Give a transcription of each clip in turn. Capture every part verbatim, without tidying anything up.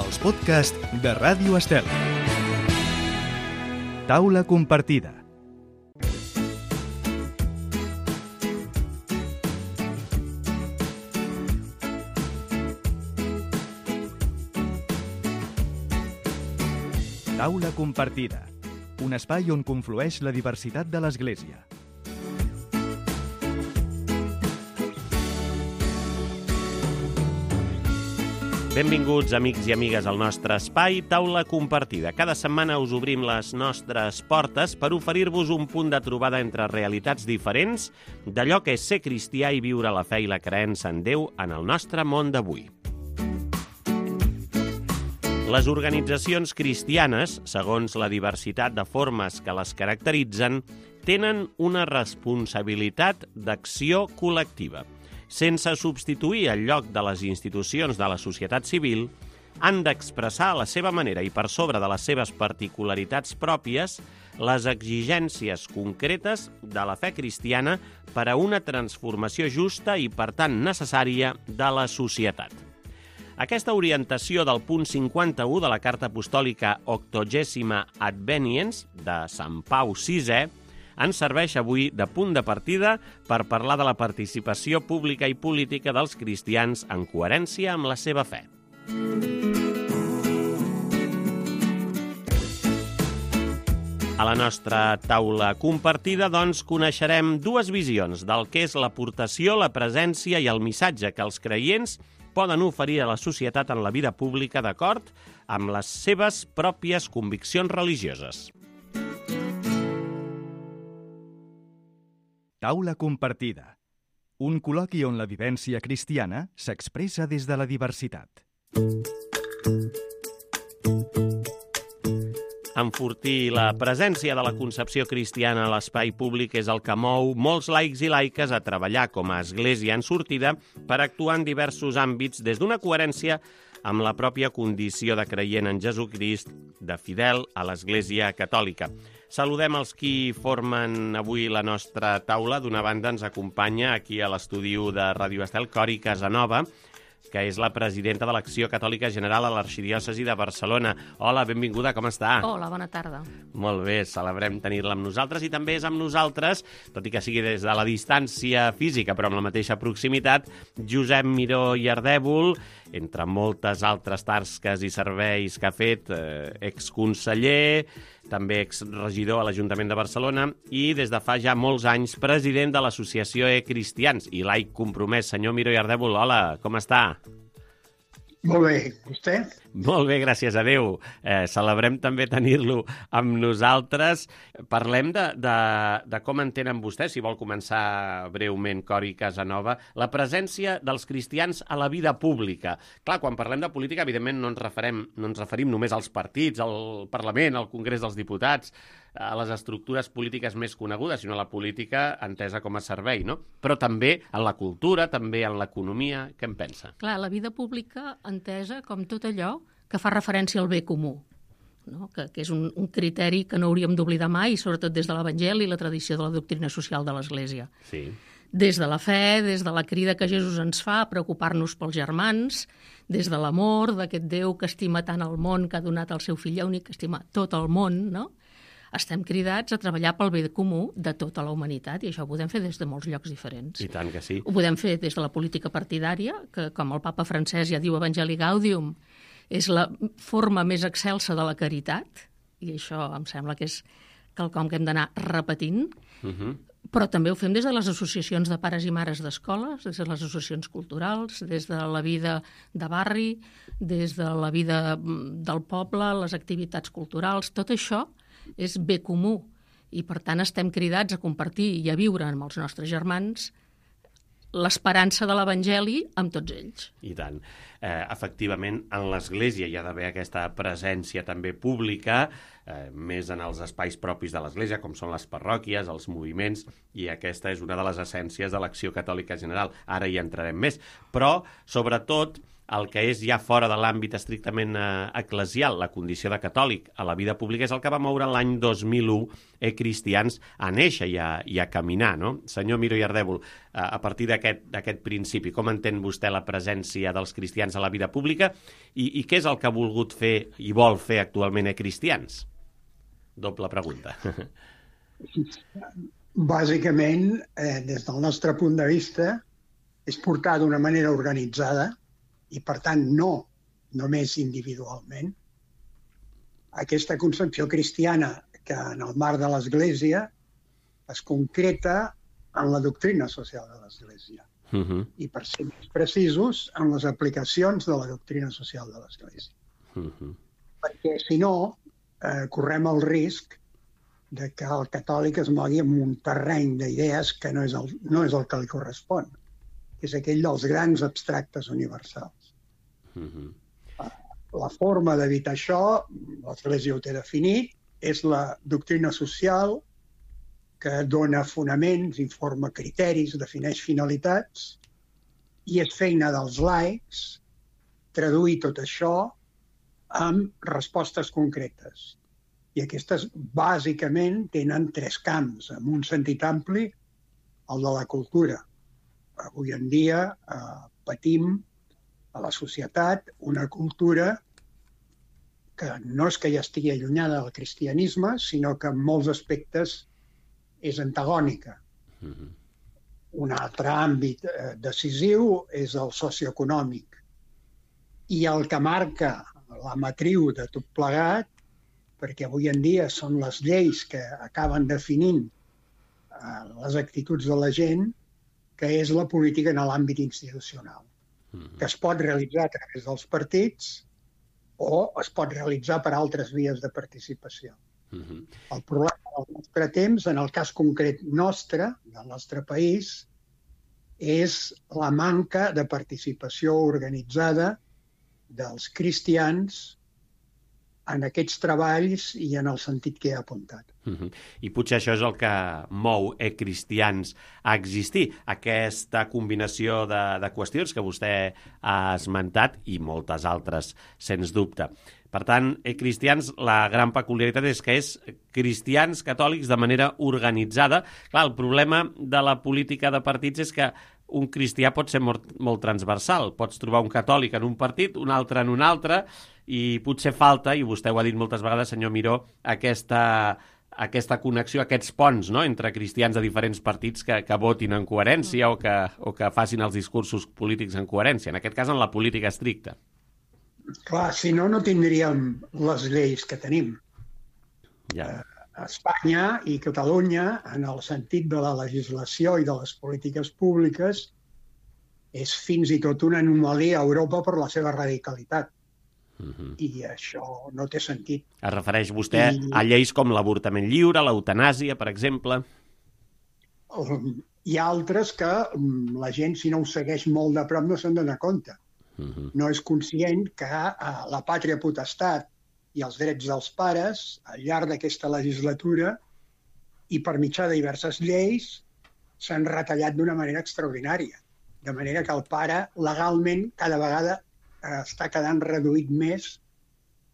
els podcasts de Ràdio Estel. Taula compartida. Taula compartida, un espai on conflueix la diversitat de l'Església. Benvinguts, amics i amigues, al nostre espai Taula Compartida. Cada setmana us obrim les nostres portes per oferir-vos un punt de trobada entre realitats diferents d'allò que és ser cristià i viure la fe i la creença en Déu en el nostre món d'avui. Les organitzacions cristianes, segons la diversitat de formes que les caracteritzen, tenen una responsabilitat d'acció col·lectiva. Sense substituir el lloc de les institucions de la societat civil, han d'expressar a la seva manera i per sobre de les seves particularitats pròpies les exigències concretes de la fe cristiana per a una transformació justa i, per tant, necessària de la societat. Aquesta orientació del punt cinquanta-u de la Carta Apostòlica Octogèsima Adveniens de Sant Pau sisè ens serveix avui de punt de partida per parlar de la participació pública i política dels cristians en coherència amb la seva fe. A la nostra taula compartida, doncs, coneixerem dues visions del que és l'aportació, la presència i el missatge que els creients poden oferir a la societat en la vida pública d'acord amb les seves pròpies conviccions religioses. Taula compartida, un col·loqui on la vivència cristiana s'expressa des de la diversitat. Enfortir la presència de la concepció cristiana a l'espai públic és el que mou molts laics i laiques a treballar com a església en sortida per actuar en diversos àmbits des d'una coherència amb la pròpia condició de creient en Jesucrist, de fidel a l'Església Catòlica. Saludem els qui formen avui la nostra taula. D'una banda ens acompanya aquí a l'estudi de Ràdio Estel Cori Casanova, que és la presidenta de l'Acció Catòlica General a l'Arxidiòcesi de Barcelona. Hola, benvinguda, com està? Hola, bona tarda. Molt bé, celebrem tenir-la amb nosaltres i també és amb nosaltres, tot i que sigui des de la distància física, però amb la mateixa proximitat, Josep Miró i Ardèvol, entre moltes altres tasques i serveis que ha fet, eh, exconseller, també exregidor a l'Ajuntament de Barcelona i des de fa ja molts anys president de l'Associació E-Cristians i laic compromès. Senyor Miró i Ardèvol, hola, com està? Molt bé, vostè? Molt bé, gràcies a Déu. Eh, celebrem també tenir-lo amb nosaltres. Parlem de, de, de com entenen vostès, si vol començar breument, Cori Casanova, la presència dels cristians a la vida pública. Clar, quan parlem de política, evidentment no ens referem, no ens referim només als partits, al Parlament, al Congrés dels Diputats, a les estructures polítiques més conegudes, sinó a la política entesa com a servei, no? Però també en la cultura, també en l'economia. Què en pensa? Clar, la vida pública entesa com tot allò que fa referència al bé comú, no? que, que és un, un criteri que no hauríem d'oblidar mai, sobretot des de l'Evangeli i la tradició de la doctrina social de l'Església. Sí. Des de la fe, des de la crida que Jesús ens fa a preocupar-nos pels germans, des de l'amor d'aquest Déu que estima tant el món, que ha donat el seu fill únic, que estima tot el món, no? Estem cridats a treballar pel bé comú de tota la humanitat i això ho podem fer des de molts llocs diferents. I tant que sí. Ho podem fer des de la política partidària, que com el papa francès ja diu Evangelii Gaudium, és la forma més excelsa de la caritat, i això em sembla que és quelcom que hem d'anar repetint, Uh-huh. però també ho fem des de les associacions de pares i mares d'escoles, des de les associacions culturals, des de la vida de barri, des de la vida del poble, les activitats culturals, tot això és bé comú i, per tant, estem cridats a compartir i a viure amb els nostres germans l'esperança de l'Evangeli amb tots ells. I tant. Eh, efectivament, en l'Església hi ha d'haver aquesta presència també pública, eh, més en els espais propis de l'Església, com són les parròquies, els moviments, i aquesta és una de les essències de l'Acció Catòlica General. Ara hi entrarem més. Però, sobretot, el que és ja fora de l'àmbit estrictament eh, eclesial, la condició de catòlic a la vida pública, és el que va moure l'any dos mil u eh, cristians a néixer i a, i a caminar, no? Senyor Miró i Ardèvol, eh, a partir d'aquest principi, com entén vostè la presència dels cristians a la vida pública i, i què és el que ha volgut fer i vol fer actualment a cristians? Doble pregunta. Bàsicament, eh, des del nostre punt de vista, és portar d'una manera organitzada i, per tant, no només individualment, aquesta concepció cristiana que en el marc de l'Església es concreta en la doctrina social de l'Església. Uh-huh. I, per ser més precisos, en les aplicacions de la doctrina social de l'Església. Uh-huh. Perquè, si no, eh, correm el risc de que el catòlic es mogui en un terreny d'idees que no és, el, no és el que li correspon, que és aquell dels grans abstractes universals. Uh-huh. La forma d'evitar això, l'Església ho té definit, és la doctrina social que dona fonaments, informa criteris, defineix finalitats, i és feina dels laics traduir tot això amb respostes concretes. I aquestes, bàsicament, tenen tres camps, en un sentit ampli, el de la cultura. Avui en dia eh, patim a la societat una cultura que no és que ja estigui allunyada del cristianisme, sinó que en molts aspectes és antagònica. Mm-hmm. Un altre àmbit eh, decisiu és el socioeconòmic. I el que marca la matriu de tot plegat, perquè avui en dia són les lleis que acaben definint eh, les actituds de la gent, que és la política en l'àmbit institucional, mm-hmm. que es pot realitzar a través dels partits o es pot realitzar per altres vies de participació. Mm-hmm. El problema del nostre temps, en el cas concret nostre, del nostre país, és la manca de participació organitzada dels cristians en aquests treballs i en el sentit que he apuntat. Uh-huh. I potser això és el que mou e-cristians a existir, aquesta combinació de, de qüestions que vostè ha esmentat i moltes altres, sens dubte. Per tant, e-cristians, la gran peculiaritat és que és cristians catòlics de manera organitzada. Clar, el problema de la política de partits és que un cristià pot ser molt, molt transversal. Pots trobar un catòlic en un partit, un altre en un altre, i potser falta, i vostè ho ha dit moltes vegades, senyor Miró, aquesta, aquesta connexió, aquests ponts, no?, entre cristians de diferents partits que, que votin en coherència o que, o que facin els discursos polítics en coherència, en aquest cas en la política estricta. Clar, si no, no tindríem les lleis que tenim. Ja. Espanya i Catalunya, en el sentit de la legislació i de les polítiques públiques, és fins i tot una anomalia a Europa per la seva radicalitat. Uh-huh. I això no té sentit. Es refereix vostè I... a lleis com l'avortament lliure, l'eutanàsia, per exemple? Hi ha altres que la gent, si no ho segueix molt de prop, no se'n dona compte. Uh-huh. No és conscient que la pàtria potestat i els drets dels pares, al llarg d'aquesta legislatura, i per mitjà de diverses lleis, s'han retallat d'una manera extraordinària. De manera que el pare, legalment, cada vegada eh, està quedant reduït més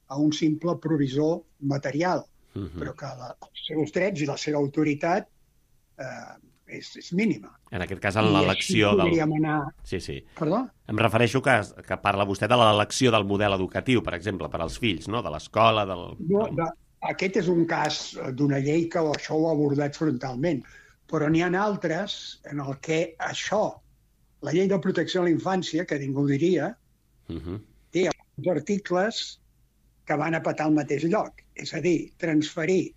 a un simple provisor material, uh-huh. però que la, els seus drets i la seva autoritat eh, és, és mínima. En aquest cas, en l'elecció del... Anar... Sí, sí. Perdó? Em refereixo que, que parla vostè de l'elecció del model educatiu, per exemple, per als fills, no?, de l'escola, del... No, de... Aquest és un cas d'una llei que això ho ha abordat frontalment, però n'hi ha altres en el que això, la llei de protecció a la infància, que ningú diria, uh-huh. té alguns articles que van a petar al mateix lloc. És a dir, transferir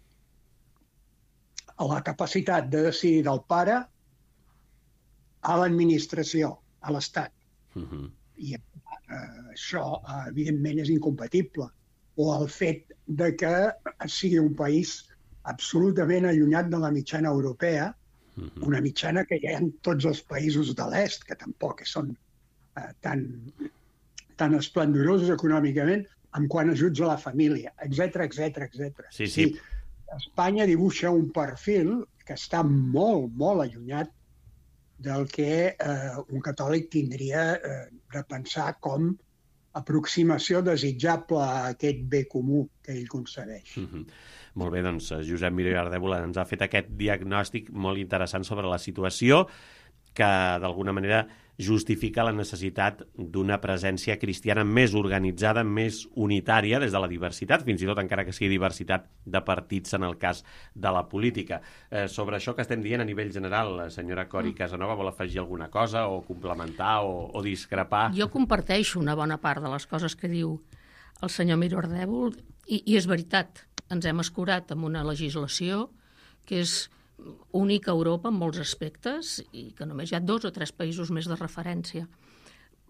a la capacitat de decidir del pare a l'administració, a l'Estat. Uh-huh. I eh, això, evidentment, és incompatible. O el fet de que sigui un país absolutament allunyat de la mitjana europea, uh-huh. una mitjana que hi ha en tots els països de l'est, que tampoc són eh, tan, tan esplendorosos econòmicament, en quant a ajuts a la família, etcètera, etcètera, etcètera. Sí, sí. Espanya dibuixa un perfil que està molt, molt allunyat del que eh, un catòlic tindria eh, de pensar com aproximació desitjable a aquest bé comú que ell concedeix. Mm-hmm. Molt bé, doncs Josep Miró i Ardèvol ens ha fet aquest diagnòstic molt interessant sobre la situació que d'alguna manera justifica la necessitat d'una presència cristiana més organitzada, més unitària des de la diversitat, fins i tot encara que sigui diversitat de partits en el cas de la política. Eh, sobre això que estem dient a nivell general, la senyora Cori Casanova vol afegir alguna cosa o complementar o, o discrepar? Jo comparteixo una bona part de les coses que diu el senyor Miró Ardèvol i, i és veritat, ens hem escurat amb una legislació que és única a Europa en molts aspectes i que només hi ha dos o tres països més de referència.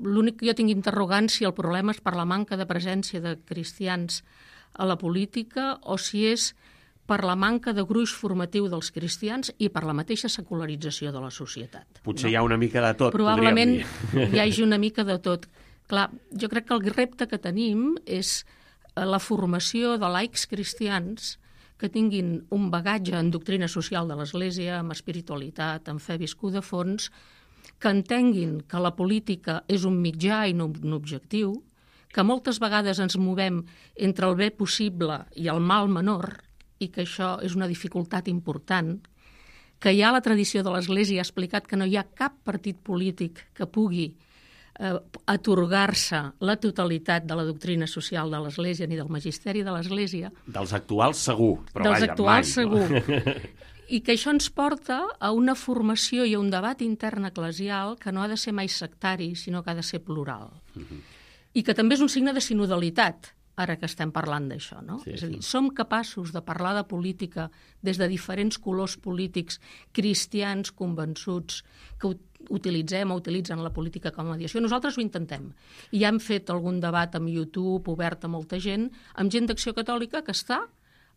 L'únic que jo tinc interrogant si el problema és per la manca de presència de cristians a la política o si és per la manca de gruix formatiu dels cristians i per la mateixa secularització de la societat. Potser no? Hi ha una mica de tot, probablement podríem dir. Hi hagi una mica de tot. Clar, jo crec que el repte que tenim és la formació de laics cristians que tinguin un bagatge en doctrina social de l'Església, amb espiritualitat, amb fe viscuda a fons, que entenguin que la política és un mitjà i no un objectiu, que moltes vegades ens movem entre el bé possible i el mal menor, i que això és una dificultat important, que ja la tradició de l'Església ha explicat que no hi ha cap partit polític que pugui eh, atorgar-se la totalitat de la doctrina social de l'Església ni del magisteri de l'Església. Dels actuals segur, però dels vaja, actuals mai, segur. No? I que això ens porta a una formació i a un debat intern eclesial que no ha de ser mai sectari, sinó que ha de ser plural. Uh-huh. I que també és un signe de sinodalitat, ara que estem parlant d'això, no? Sí, és a dir, sí. som capaços de parlar de política des de diferents colors polítics, cristians convençuts, que utilitzem o utilitzen la política com a mediació. Nosaltres ho intentem. I ja hem fet algun debat amb YouTube, obert a molta gent, amb gent d'Acció Catòlica que està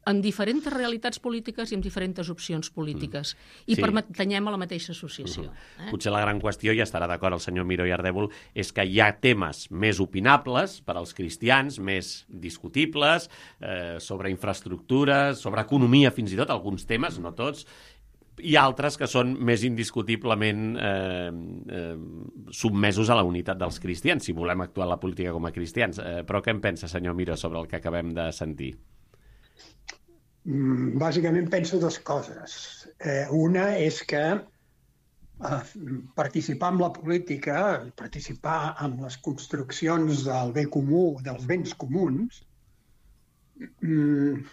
amb diferents realitats polítiques i amb diferents opcions polítiques. I Sí. pertanyem a la mateixa associació. Uh-huh. Eh? Potser la gran qüestió, i estarà d'acord el senyor Miró i Ardèvol, és que hi ha temes més opinables per als cristians, més discutibles, eh, sobre infraestructures, sobre economia fins i tot, alguns temes, no tots, i altres que són més indiscutiblement eh, eh, submesos a la unitat dels cristians, si volem actuar en la política com a cristians. Eh, però què en pensa, senyor Miró, sobre el que acabem de sentir? Bàsicament penso dues coses. Eh, una és que eh, participar en la política, participar en les construccions del bé comú, dels béns comuns, mm,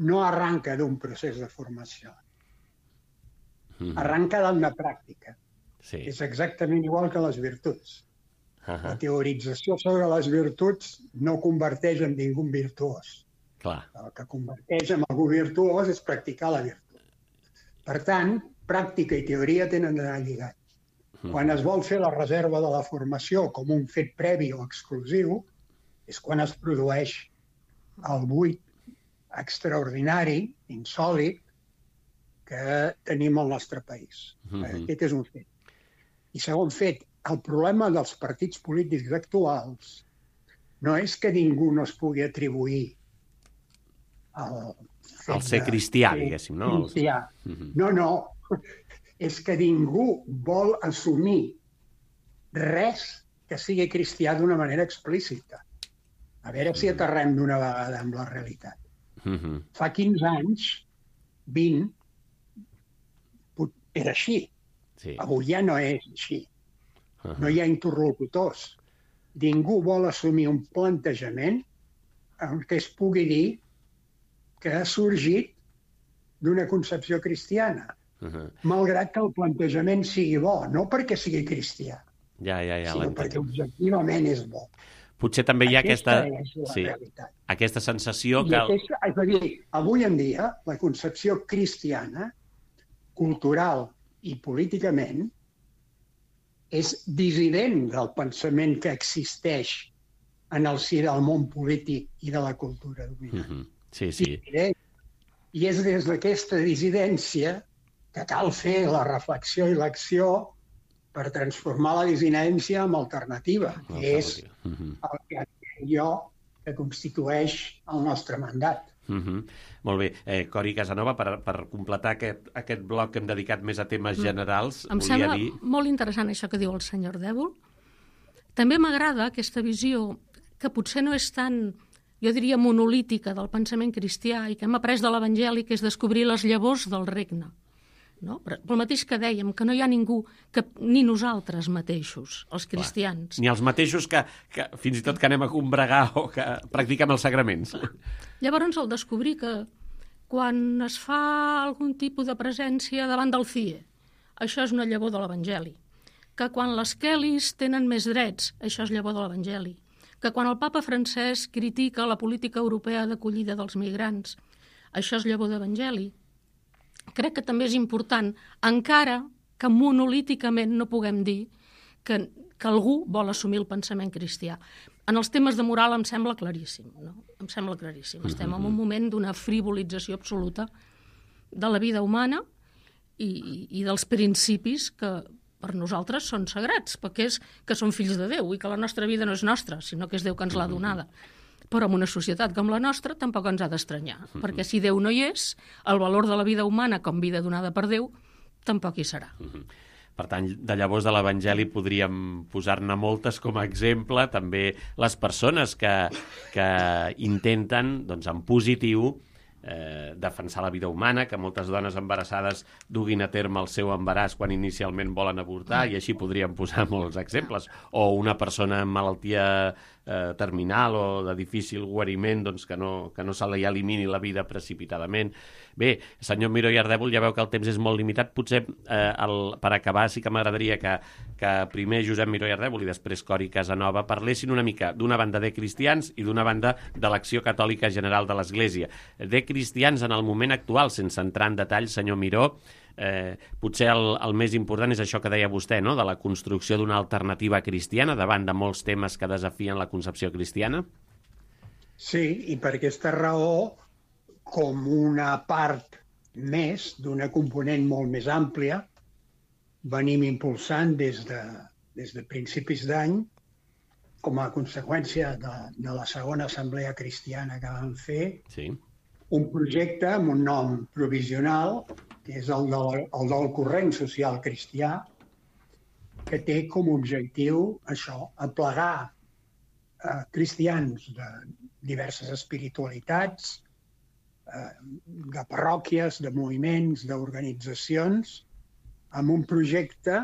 no arranca d'un procés de formació. Mm-hmm. Arranca d'una pràctica. Sí. És exactament igual que les virtuts. Uh-huh. La teorització sobre les virtuts no converteix en ningú virtuós. Clar. El que converteix en algú virtuós és practicar la virtut. Per tant, pràctica i teoria tenen d'anar lligats. Quan es vol fer la reserva de la formació com un fet previ o exclusiu, és quan es produeix el buit extraordinari, insòlit, que tenim al nostre país. Mm-hmm. Aquest és un fet. I segon fet, el problema dels partits polítics actuals no és que ningú no es pugui atribuir el, el ser cristià, diguéssim, no? Cristià. No, no. És que ningú vol assumir res que sigui cristià d'una manera explícita. A veure si aterrem d'una vegada amb la realitat. Mm-hmm. Fa quinze anys, vint, era així. Sí. Avui ja no és així. Uh-huh. No hi ha interlocutors. Ningú vol assumir un plantejament en què es pugui dir que ha sorgit d'una concepció cristiana, uh-huh. malgrat que el plantejament sigui bo, no perquè sigui cristià, ja, ja, ja, sinó perquè objectivament és bo. Potser també hi ha aquesta, aquesta, sí, aquesta sensació I que... Aquesta, és a dir, avui en dia, la concepció cristiana, cultural i políticament, és dissident del pensament que existeix en el si del món polític i de la cultura dominant. Uh-huh. Sí, sí. I és des d'aquesta dissidència que cal fer la reflexió i l'acció per transformar la dissidència en alternativa, que és el que jo que constitueix el nostre mandat. Uh-huh. Molt bé. Eh, Cori Casanova, per, per completar aquest, aquest bloc que hem dedicat més a temes generals, em volia sembla dir... molt interessant això que diu el senyor Ardèvol. També m'agrada aquesta visió que potser no és tan, jo diria, monolítica del pensament cristià i que hem après de l'Evangeli, que és descobrir les llavors del regne. No? Però el mateix que dèiem, que no hi ha ningú, que, ni nosaltres mateixos, els cristians. Clar. Ni els mateixos que, que fins i tot que anem a combregar o que practiquem els sagraments. Llavors, el descobrir que quan es fa algun tipus de presència davant del C I E, això és una llavor de l'Evangeli. Que quan les Kellys tenen més drets, això és llavor de l'Evangeli. Que quan el papa francès critica la política europea d'acollida dels migrants, això és llavor d'Evangeli. Crec que també és important, encara que monolíticament no puguem dir que, que algú vol assumir el pensament cristià. En els temes de moral em sembla claríssim, no? Em sembla claríssim. Estem en un moment d'una frivolització absoluta de la vida humana i, i dels principis que per nosaltres són sagrats, perquè és que són fills de Déu i que la nostra vida no és nostra, sinó que és Déu que ens l'ha donada. Però en una societat com la nostra tampoc ens ha d'estranyar, uh-huh. perquè si Déu no hi és, el valor de la vida humana com vida donada per Déu tampoc hi serà. Uh-huh. Per tant, de llavors de l'Evangeli podríem posar-ne moltes com a exemple, també les persones que, que intenten, doncs, en positiu, eh, defensar la vida humana, que moltes dones embarassades duguin a terme el seu embaràs quan inicialment volen avortar, i així podríem posar molts exemples. O una persona amb malaltia eh, terminal o de difícil guariment, doncs que no, que no se li elimini la vida precipitadament. Bé, senyor Miró i Ardèvol, ja veu que el temps és molt limitat. Potser, eh, el, per acabar, sí que m'agradaria que, que primer Josep Miró i Ardèvol i després Cori Casanova parlessin una mica d'una banda de cristians i d'una banda de l'Acció Catòlica General de l'Església. De cristians en el moment actual, sense entrar en detall, senyor Miró, eh, potser el, el més important és això que deia vostè, no?, de la construcció d'una alternativa cristiana davant de molts temes que desafien la concepció cristiana. Sí, i per aquesta raó, com una part més d'una component molt més àmplia, venim impulsant des de, des de principis d'any, com a conseqüència de, de la segona assemblea cristiana que vam fer, sí. un projecte amb un nom provisional, que és el del, el del corrent social cristià, que té com a objectiu això, aplegar eh, cristians de diverses espiritualitats, eh, de parròquies, de moviments, d'organitzacions, amb un projecte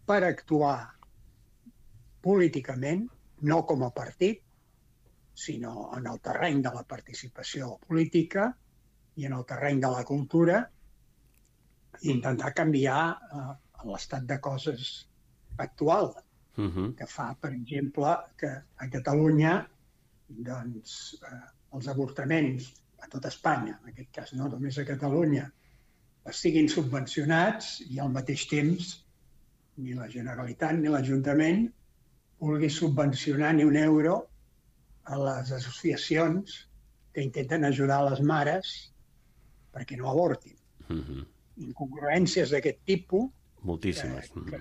per actuar políticament, no com a partit, sinó en el terreny de la participació política i en el terreny de la cultura, i intentar canviar eh, l'estat de coses actual, uh-huh. que fa, per exemple, que a Catalunya doncs, eh, els avortaments a tot Espanya, en aquest cas no només a Catalunya, estiguin subvencionats i al mateix temps ni la Generalitat ni l'Ajuntament vulgui subvencionar ni un euro a les associacions que intenten ajudar les mares perquè no avortin. Uh-huh. Incongruències d'aquest tipus moltíssimes. que, que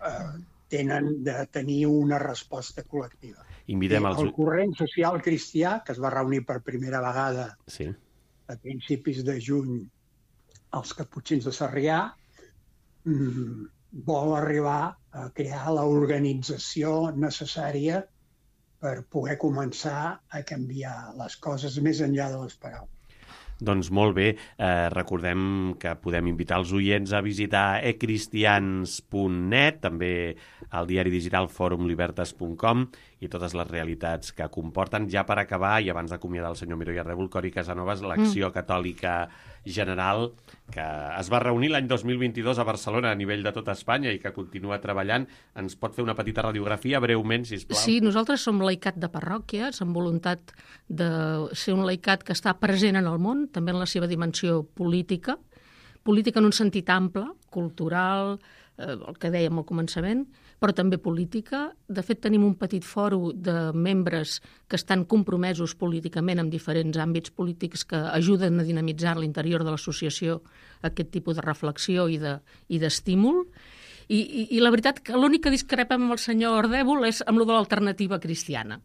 eh, tenen de tenir una resposta col·lectiva. Invitem els... El corrent social cristià, que es va reunir per primera vegada sí. a principis de juny als Caputxins de Sarrià, mmm, vol arribar a crear l'organització necessària per poder començar a canviar les coses més enllà de les paraules. Doncs molt bé, eh, recordem que podem invitar els oients a visitar e cristians punt net, també al diari digital forum libertas punt com i totes les realitats que comporten. Ja per acabar, i abans d'acomiadar el senyor Miró i Ardèvol, Cori Casanovas, l'Acció mm. Catòlica General, que es va reunir l'any dos mil vint-i-dos a Barcelona a nivell de tota Espanya i que continua treballant. Ens pot fer una petita radiografia, breument, sisplau? Sí, nosaltres som laicat de parròquies, amb voluntat de ser un laicat que està present en el món, també en la seva dimensió política, política en un sentit ample, cultural, eh, el que dèiem al començament, però també política. De fet, tenim un petit fòrum de membres que estan compromesos políticament en diferents àmbits polítics que ajuden a dinamitzar l'interior de l'associació aquest tipus de reflexió i de, i d'estímul. I, i, I la veritat que l'únic que discrepem amb el senyor Ardèvol és amb lo de l'alternativa cristiana,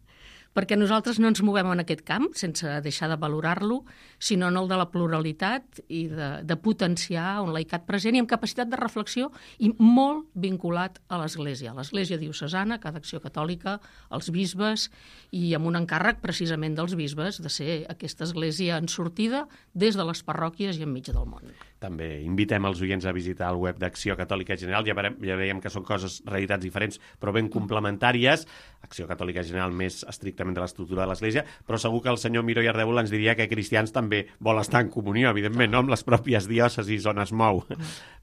perquè nosaltres no ens movem en aquest camp, sense deixar de valorar-lo, sinó en el de la pluralitat i de, de potenciar un laicat present i amb capacitat de reflexió i molt vinculat a l'Església, a l'Església diocesana, cada Acció Catòlica, els bisbes, i amb un encàrrec precisament dels bisbes de ser aquesta església en sortida des de les parròquies i enmig del món. També invitem els oients a visitar el web d'Acció Catòlica General. Ja, veiem, ja veiem que són coses, realitats diferents, però ben complementàries. Acció Catòlica General més estrictament de l'estructura de l'Església, però segur que el senyor Miró i Ardèvol ens diria que cristians també vol estar en comunió, evidentment, no amb les pròpies diòcesis on es mou.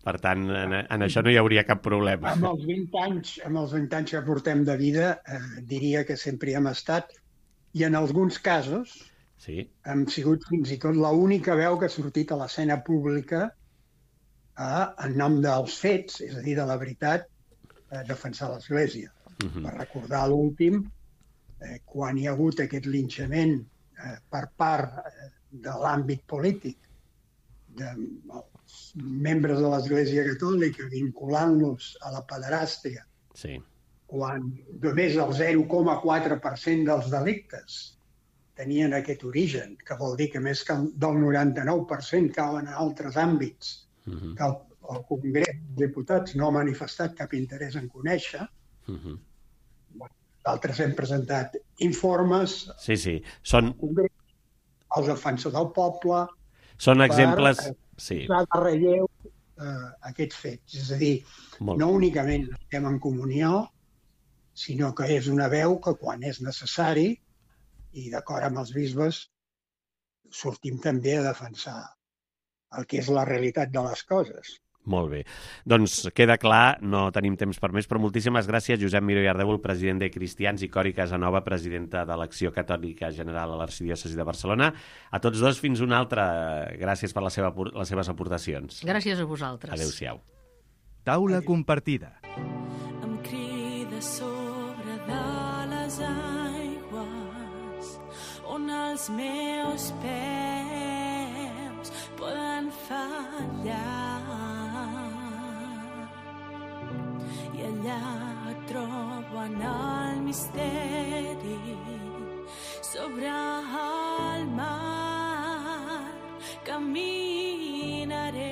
Per tant, en, en això no hi hauria cap problema. Amb els vint anys, amb els vint anys que portem de vida, eh, diria que sempre hi hem estat, i en alguns casos sí. hem sigut fins i tot l'única veu que ha sortit a l'escena pública a, en nom dels fets, és a dir, de la veritat, eh, defensar l'Església. Uh-huh. Per recordar l'últim, eh, quan hi ha hagut aquest linxament eh, per part eh, de l'àmbit polític dels membres de l'Església Catòlica vinculant-los a la pederàstia, sí. quan només el zero coma quatre per cent dels delictes tenien aquest origen, que vol dir que més que del noranta-nou per cent cauen en altres àmbits uh-huh. que el, el Congrés dels Diputats no ha manifestat cap interès en conèixer. Uh-huh. D'altres hem presentat informes sí, sí. Són... al defensor del poble són exemples... per sí. posar de relleu eh, aquests fets. És a dir, Molt. no únicament estem en comunió, sinó que és una veu que quan és necessari i d'acord amb els bisbes sortim també a defensar el que és la realitat de les coses. Molt bé. Doncs queda clar, no tenim temps per més, però moltíssimes gràcies, Josep Miró i Ardèvol, president de Cristians, i Cori Casanova, presidenta de l'Acció Catòlica General a l'Arxidiòcesi de Barcelona. A tots dos, fins una altra. Gràcies per la seva, les seves aportacions. Gràcies a vosaltres. Adéu-siau. Taula compartida. Em crida sobre de les aigües on els meus peus poden fallar. I allà trobo en el misteri sobre el mar caminaré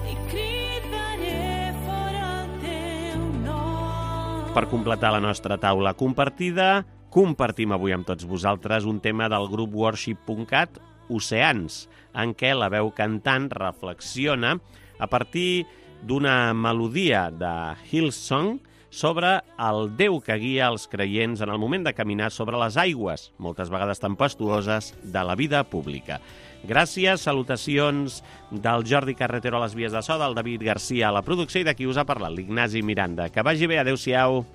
i cridaré fora el teu nom. Per completar la nostra taula compartida, compartim avui amb tots vosaltres un tema del grup worship punt cat, Oceans, en què la veu cantant reflexiona a partir d'una melodia de Hillsong sobre el Déu que guia els creients en el moment de caminar sobre les aigües, moltes vegades tempestuoses, de la vida pública. Gràcies, salutacions del Jordi Carretero a les vies de so, del David Garcia a la producció i de qui us ha parlat, l'Ignasi Miranda. Que vagi bé, adéu-siau.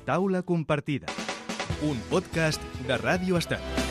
Taula compartida, un podcast de Ràdio Estat.